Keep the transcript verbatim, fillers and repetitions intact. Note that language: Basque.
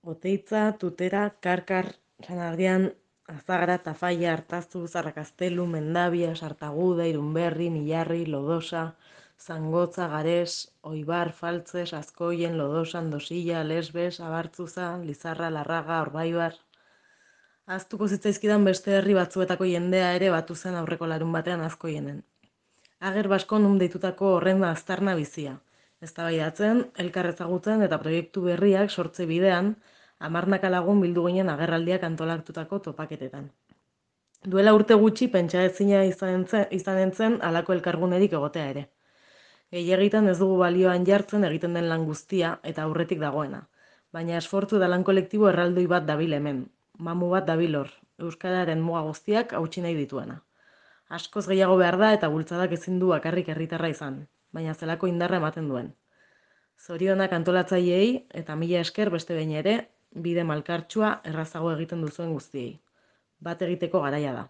Oteitza, Tutera, Karkar, San Adrián, Azagra, Tafaia, Artazu, Zarrakastelu, Mendabia, Sartaguda, Irunberri, Millarri, Lodosa, Zangotza, Gares, Oibar, Faltzes, Azkoien, Lodosa, Andosilla, Lesbes, Abartzuza, Lizarra, Larraga, Orbaibar. Ahaztuko zitzaizkidan beste herri batzuetako jendea ere batu zen aurreko larun batean Azkoienen. Ager Baskon nun deitutako horren aztarna bizia. Eztabaidatzen, elkar ezagutzen eta proiektu berriak sortze bidean, hamarnaka lagun bildu ginen agerraldiak antolatutako topaketetan. Duela urte gutxi pentsa ezina izanen zen halako elkargunerik egotea ere. Gehiagitan ez dugu balioan jartzen egiten den lan guztia eta aurretik dagoena. Baina esfortzu da lan kolektibo erraldoi bat dabil hemen. Mamu bat dabil hor, euskararen muga guztiak hautsi nahi dituena. Askoz gehiago behar da eta bultzadak ezin du bakarrik herritarra izan, baina zelako indarra ematen duen. Zorionak antolatzaileei eta mila esker beste behin ere, bide malkartsua errazago egiten duzuen guztiei. Bat egiteko garaia da.